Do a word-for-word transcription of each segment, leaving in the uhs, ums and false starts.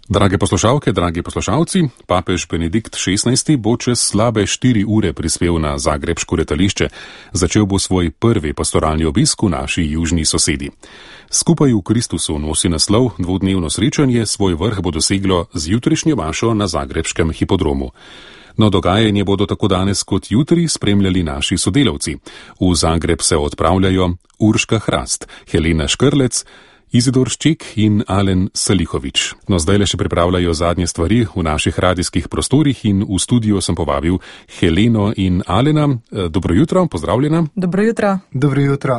Drage poslušalke, dragi poslušalci, papež Benedikt šestnajsti bo čez slabe štiri ure prispel na zagrebško letališče. Začel bo svoj prvi pastoralni obisk v naši južni sosedi. Skupaj v Kristusu nosi naslov dvodnevno srečanje, svoj vrh bo doseglo z jutrišnjo mašo na zagrebškem hipodromu. No, dogajanje bodo tako danes kot jutri spremljali naši sodelavci. V Zagreb se odpravljajo Urška Hrast, Helena Škrlec, Izidor Šček in Alen Salihovič. No, zdaj le še pripravljajo zadnje stvari v naših radijskih prostorih in v studio sem povabil Heleno in Alena. Dobro jutro, pozdravljena. Dobro jutro. Dobro jutro.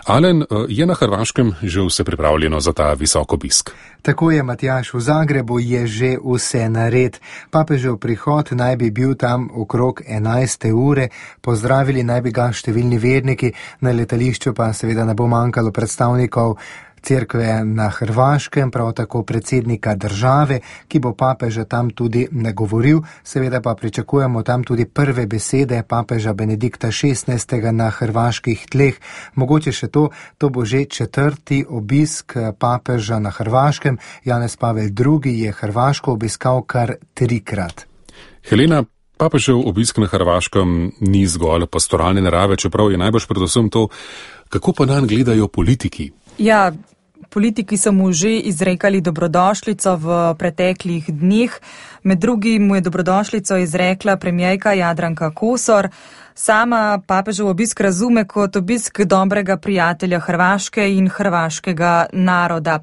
Alen, je na Hrvaškem že vse pripravljeno za ta visok obisk? Tako je, Matjaž, v Zagrebu je že vse nared. Papežev prihod naj bi bil tam okrog enajste ure, pozdravili naj bi ga številni verniki, na letališču pa seveda ne bo manjkalo predstavnikov Cerkve na Hrvaškem, prav tako predsednika države, ki bo papeža tam tudi nagovoril. Seveda pa pričakujemo tam tudi prve besede papeža Benedikta šestnajstega na hrvaških tleh. Mogoče še to, to bo že četrti obisk papeža na Hrvaškem. Janez Pavel drugi je Hrvaško obiskal kar trikrat. Helena, papežev obisk na Hrvaškem ni zgolj pastoralne narave, čeprav je najbolj predvsem to, kako pa nanj gledajo politiki. Ja, politiki so mu že izrekali dobrodošlico v preteklih dneh. Med drugim mu je dobrodošlico izrekla premijerka Jadranka Kosor. Sama papežev obisk razume kot obisk dobrega prijatelja Hrvaške in hrvaškega naroda.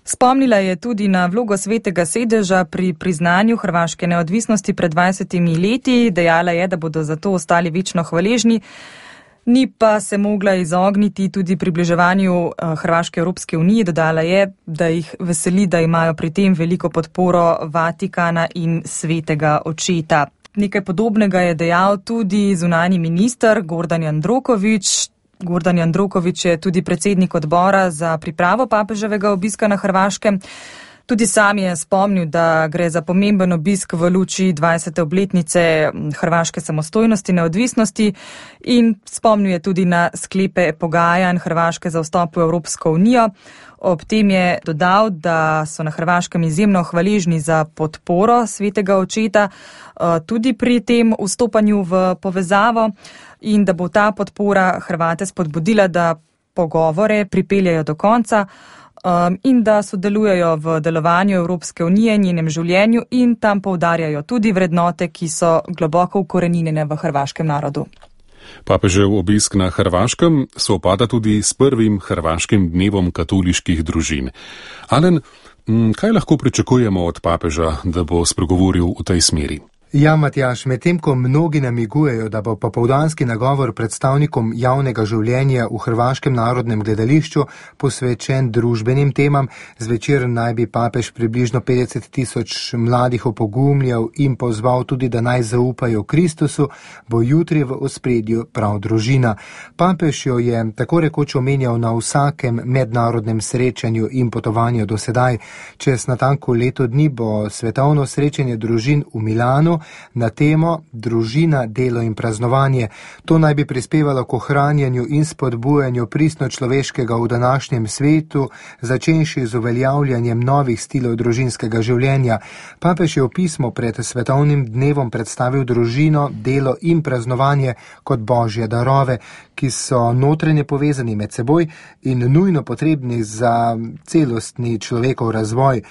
Spomnila je tudi na vlogo svetega sedeža pri priznanju hrvaške neodvisnosti pred dvajsetimi leti. Dejala je, da bodo zato ostali večno hvaležni. Ni pa se mogla izogniti tudi približevanju Hrvaške Evropske unije. Dodala je, da jih veseli, da imajo pri tem veliko podporo Vatikana in svetega očeta. Nekaj podobnega je dejal tudi zunanji minister Gordan Jandroković. Gordan Jandroković je tudi predsednik odbora za pripravo papeževega obiska na Hrvaškem. Tudi sam je spomnil, da gre za pomemben obisk v luči dvajsete obletnice hrvaške samostojnosti, neodvisnosti in spomnil je tudi na sklepe pogajanj Hrvaške za vstop v Evropsko unijo. Ob tem je dodal, da so na Hrvaškem izjemno hvaležni za podporo svetega očeta tudi pri tem vstopanju v povezavo in da bo ta podpora Hrvate spodbudila, da pogovore pripeljajo do konca Um, in da sodelujejo v delovanju Evropske unije, njenem življenju in tam poudarjajo tudi vrednote, ki so globoko ukoreninjene v hrvaškem narodu. Papežev obisk na Hrvaškem sovpada tudi s prvim hrvaškim dnevom katoliških družin. Alen, kaj lahko pričakujemo od papeža, da bo spregovoril v tej smeri? Ja, Matjaž, medtem ko mnogi namigujejo, da bo popoldanski nagovor predstavnikom javnega življenja v Hrvaškem narodnem gledališču posvečen družbenim temam, zvečer naj bi papež približno petdeset tisoč mladih opogumljal in pozval tudi, da naj zaupajo Kristusu, bo jutri v ospredju prav družina. Papež jo je tako rekoč omenjal na vsakem mednarodnem srečanju in potovanju do sedaj. Čez natanko leto dni bo svetovno srečanje družin v Milanu na temo družina, delo in praznovanje. To naj bi prispevalo k ohranjanju in spodbujanju pristno človeškega v današnjem svetu, začenši z uveljavljanjem novih stilov družinskega življenja. Papež je v pismu pred svetovnim dnevom predstavil družino, delo in praznovanje kot božje darove, ki so notranje povezani med seboj in nujno potrebni za celostni človekov razvoj.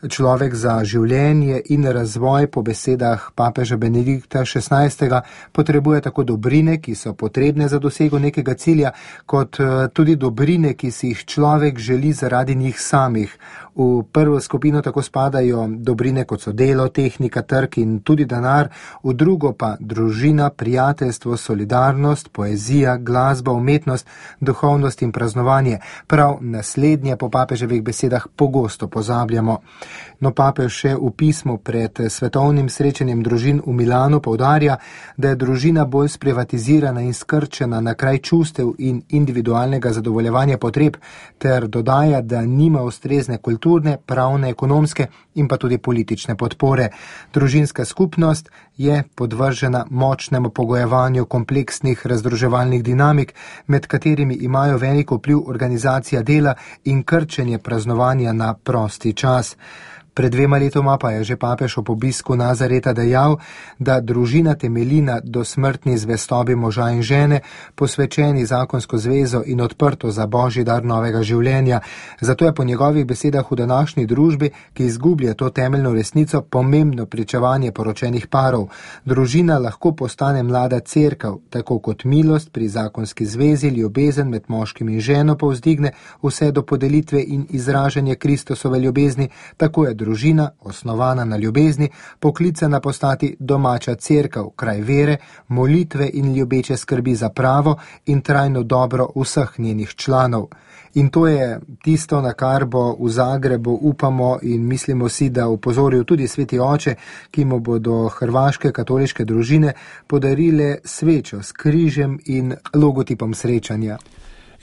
Človek za življenje in razvoj po besedah papeža Benedikta šestnajstega potrebuje tako dobrine, ki so potrebne za dosego nekega cilja, kot tudi dobrine, ki si jih človek želi zaradi njih samih. V prvo skupino tako spadajo dobrine, kot so delo, tehnika, trg in tudi denar, v drugo pa družina, prijateljstvo, solidarnost, poezija, glasba, umetnost, duhovnost in praznovanje. Prav naslednje po papeževih besedah pogosto pozabljamo. No, papež še v pismu pred svetovnim srečanjem družin v Milanu poudarja, da je družina bolj sprivatizirana in skrčena na kraj čustev in individualnega zadovoljevanja potreb, ter dodaja, da nima ustrezne kulturne, pravne, ekonomske in pa tudi politične podpore. Družinska skupnost je podvržena močnemu pogojevanju kompleksnih razdruževalnih dinamik, med katerimi imajo veliko vpliv organizacija dela in krčenje praznovanja na prosti čas. Pred dvema letoma pa je že papež ob obisku Nazareta dejal, da družina temelji na dosmrtni zvestobi moža in žene, posvečeni zakonsko zvezo in odprto za božji dar novega življenja. Zato je po njegovih besedah v današnji družbi, ki izgublja to temeljno resnico, pomembno pričevanje poročenih parov. Družina lahko postane mlada cerkev, tako kot milost pri zakonski zvezi, ljubezen med moškim in ženo povzdigne vse do podelitve in izražanja Kristusove ljubezni, tako je družina, osnovana na ljubezni, poklicana postati domača cerkev, kraj vere, molitve in ljubeče skrbi za pravo in trajno dobro vseh njenih članov. In to je tisto, na kar bo v Zagrebu, upamo in mislimo si, da upozoril tudi sveti oče, ki mu bodo hrvaške katoliške družine podarile svečo s križem in logotipom srečanja.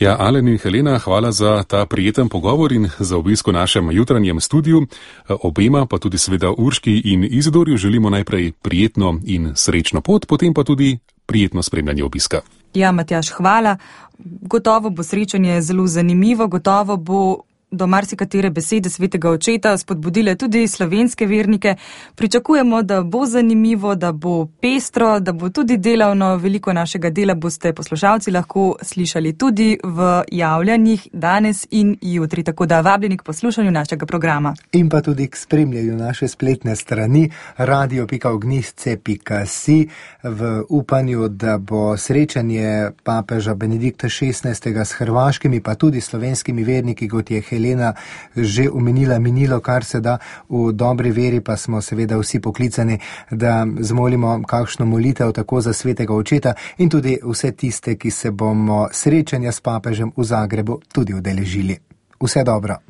Ja, Alen in Helena, hvala za ta prijeten pogovor in za obisk v našem jutranjem studiu. Obema, pa tudi seveda Urški in Izidorju, želimo najprej prijetno in srečno pot, potem pa tudi prijetno spremljanje obiska. Ja, Matjaž, hvala. Gotovo bo srečanje zelo zanimivo, gotovo bo do marsikatere besede svetega očeta spodbudile tudi slovenske vernike. Pričakujemo, da bo zanimivo, da bo pestro, da bo tudi delavno. Veliko našega dela boste poslušalci lahko slišali tudi v javljanjih danes in jutri, tako da vabljeni k poslušanju našega programa. In pa tudi k spremljanju naše spletne strani radio pika ognjišče pika si v upanju, da bo srečanje papeža Benedikta šestnajstega s hrvaškimi pa tudi slovenskimi verniki, kot je Helena že omenila, minilo kar se da. V dobri veri pa smo seveda vsi poklicani, da zmolimo kakšno molitev tako za svetega očeta in tudi vse tiste, ki se bomo srečanja s papežem v Zagrebu tudi udeležili. Vse dobro.